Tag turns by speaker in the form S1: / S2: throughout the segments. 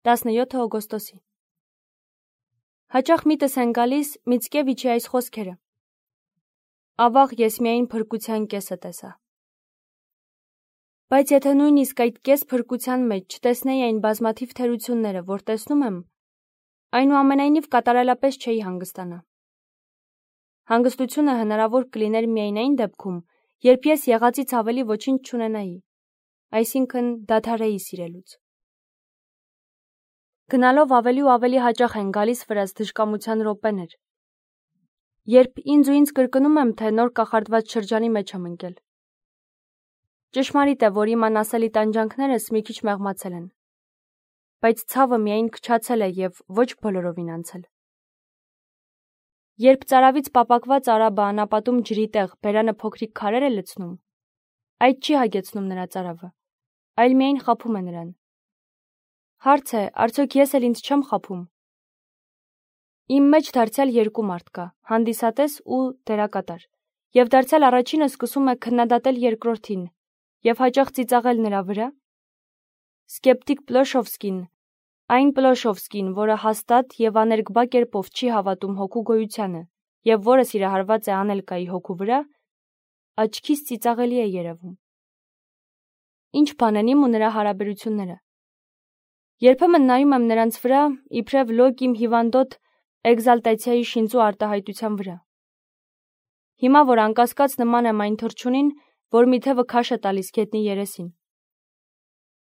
S1: 17 օգոստոսի։ Հաճախ միտս են գալիս Միցկևիչի այս խոսքերը. «Ավաղ ես միայն փրկության կեսը տեսա»։ Բայց եթե նույնիսկ այդ կես փրկության մեջ չտեսնեի այն բազմաթիվ թերությունները, որ տեսնում եմ, այնուամենայնիվ կատարելապես չէի հանգստանա։ Հանգստությունը հնարավոր կլիներ միայն այն դեպքում, երբ ես եղածից ավելի ոչինչ չունենայի, այսինքն դադարեի սիրելուց։ Գնալով ավելի ու ավելի հաճախ են գալիս վրաս դժկամության րոպեներ, երբ ինձ ու ինձ կրկնում եմ, թե նոր կախարդված շրջանի մեջ եմ ընկել։ Ճշմարիտ է, որ իմ անասելի տանջանքներս մի քիչ մեղմացել են, բայց ցավը միայն քչացել է և ոչ բոլորովին անցել։ Երբ ծարավից պապակված արաբը անապատում ջրի տեղ բերանը փոքրիկ քարեր է լցնում, այդ չի հագեցնում նրա ծարավը, այլ միայն խաբում է նրան։ Հարց է, արդյոք ես էլ ինձ չեմ խաբում։ Իմ մեջ դարձյալ երկու մարդ կա, հանդիսատես ու դերակատար, և դարձյալ առաջինը սկսում է քննադատել երկրորդին և հաճախ ծիծաղել նրա վրա։ Սկեպտիկ Պլոշովսկին, այն Պլոշովսկին, որը հաստատ և աներկբա կերպով չի հավատում հոգու գոյությանը և որը սիրահարված է Անելկայի հոգու վրա, աչքիս ծիծաղելի է երևում։ Ինչ բան են իմ ու նրա հարաբերությունները։ Երբեմն նայում եմ նրանց վրա, իբրև լոկ իմ հիվանդոտ էգզալտացիայի շինծու արտահայտության վրա։ Հիմա, որ անկասկած նման եմ այն թռչունին, որ մի թևը քաշ է տալիս գետնի երեսին։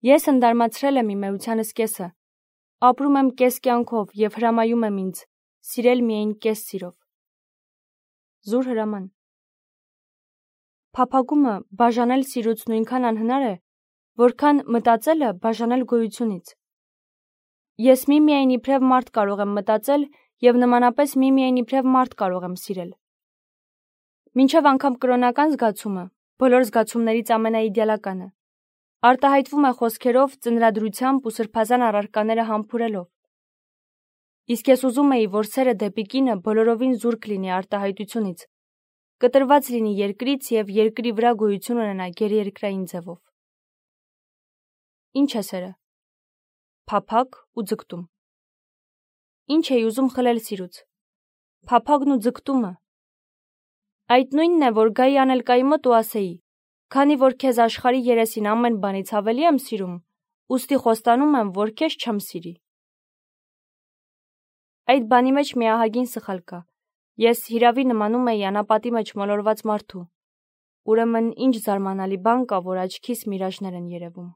S1: Ես ընդարմացրել եմ իմ էությանս կեսը, ապրում եմ կես կյանքով և հրամայում եմ ինձ սիրել միայն կես սիրով։ Զուր հրաման։ Փափագումը բաժանել սիրուց նույնքան անհնար է, որքան մտածելը բաժանել գոյությունից։ Ես միմիայն իբրև մարդ կարող եմ մտածել և նմանապես միմիայն իբրև մարդ կարող եմ սիրել։ Մինչև անգամ կրոնական զգացումը, բոլոր զգացումներից ամենաիդեալականը, արտահայտվում է խոսքերով, ծնրադրությամբ ու սրբազան առարկաները համբուրելով։ Իսկ ես ուզում էի, որ սերը դեպի կինը բոլորովին զուրկ լինի արտահայտությունից, կտրված լինի երկրից և երկրի վրա գոյություն ունենա գերերկրային ձևով։ Ինչ է սերը։ Փափագ ու ձգտում։ Ինչ էի ուզում խլել սիրուց։ Փափագն ու ձգտումը։ Այդ նույնն է, որ գայի Անելկայի մոտ ու ասեի. քանի որ քեզ աշխարհի երեսին ամեն բանից ավելի եմ սիրում, ուստի խոստանում եմ, որ քեզ չեմ սիրի։ Այդ բանի մեջ մի ահագին սխալ կա։ Ես հիրավի նմանում էի անապատի մեջ մոլորված մարդու։ Ուրեմն ինչ զարմանալի բան կա, որ աչքիս միրաժներ են երևում։